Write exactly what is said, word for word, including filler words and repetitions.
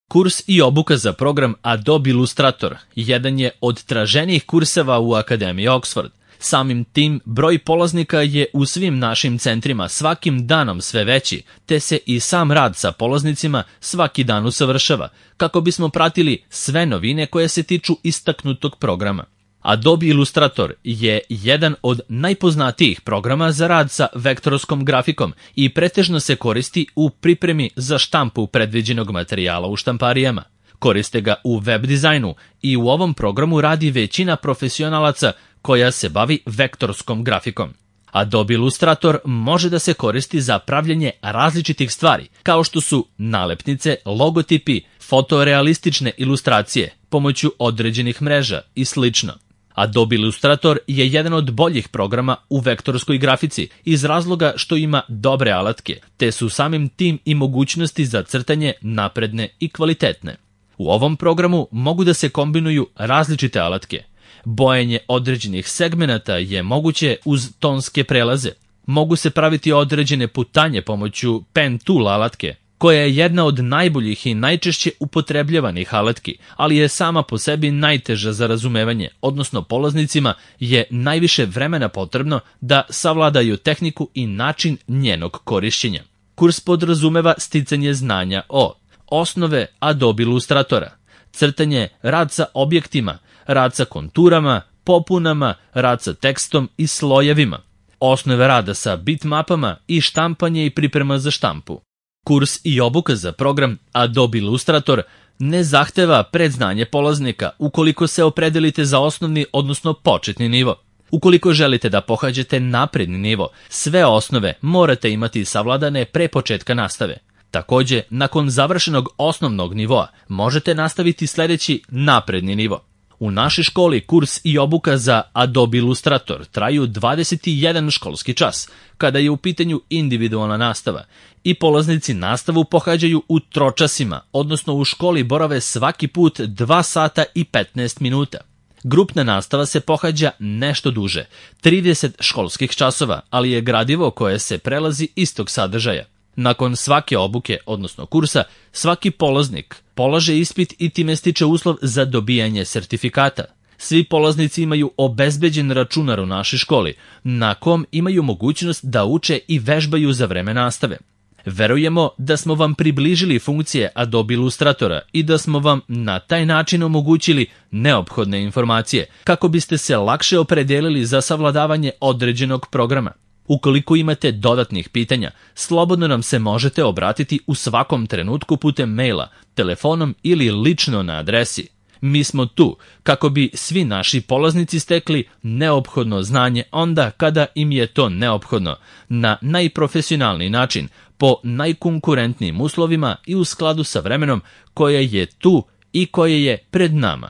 Kurs i obuka za program Adobe Illustrator jedan je od traženijih kurseva u Akademiji Oxford. Samim tim, broj polaznika je u svim našim centrima svakim danom sve veći, te se i sam rad sa polaznicima svaki dan usavršava, kako bismo pratili sve novine koje se tiču istaknutog programa. Adobe Illustrator je jedan od najpoznatijih programa za rad sa vektorskom grafikom i pretežno se koristi u pripremi za štampu predviđenog materijala u štamparijama. Koriste ga u web dizajnu i u ovom programu radi većina profesionalaca koja se bavi vektorskom grafikom. Adobe Illustrator može da se koristi za pravljenje različitih stvari, kao što su nalepnice, logotipi, fotorealistične ilustracije pomoću određenih mreža i slično. Adobe Illustrator je jedan od boljih programa u vektorskoj grafici iz razloga što ima dobre alatke, te su samim tim i mogućnosti za crtanje napredne i kvalitetne. U ovom programu mogu da se kombinuju različite alatke. Bojanje određenih segmenata je moguće uz tonske prelaze. Mogu se praviti određene putanje pomoću Pen Tool alatke, koja je jedna od najboljih i najčešće upotrebljavanih alatki, ali je sama po sebi najteža za razumevanje, odnosno polaznicima je najviše vremena potrebno da savladaju tehniku i način njenog korišćenja. Kurs podrazumeva sticanje znanja o osnove Adobe Illustratora, crtanje, rad sa objektima, rad sa konturama, popunama, rad sa tekstom i slojevima, osnove rada sa bitmapama i štampanje i priprema za štampu. Kurs i obuka za program Adobe Illustrator ne zahteva predznanje polaznika ukoliko se opredelite za osnovni, odnosno početni nivo. Ukoliko želite da pohađate napredni nivo, sve osnove morate imati savladane pre početka nastave. Takođe, nakon završenog osnovnog nivoa, možete nastaviti sledeći napredni nivo. U našoj školi kurs i obuka za Adobe Illustrator traju dvadeset jedan školski čas, kada je u pitanju individualna nastava, i polaznici nastavu pohađaju u tročasima, odnosno u školi borave svaki put dva sata i petnaest minuta. Grupna nastava se pohađa nešto duže, trideset školskih časova, ali je gradivo koje se prelazi istog sadržaja. Nakon svake obuke, odnosno kursa, svaki polaznik polaže ispit i time stiče uslov za dobijanje sertifikata. Svi polaznici imaju obezbeđen računar u našoj školi, na kom imaju mogućnost da uče i vežbaju za vreme nastave. Verujemo da smo vam približili funkcije Adobe Illustratora i da smo vam na taj način omogućili neophodne informacije, kako biste se lakše opredelili za savladavanje određenog programa. Ukoliko imate dodatnih pitanja, slobodno nam se možete obratiti u svakom trenutku putem maila, telefonom ili lično na adresi. Mi smo tu kako bi svi naši polaznici stekli neophodno znanje onda kada im je to neophodno, na najprofesionalniji način, po najkonkurentnijim uslovima i u skladu sa vremenom koje je tu i koje je pred nama.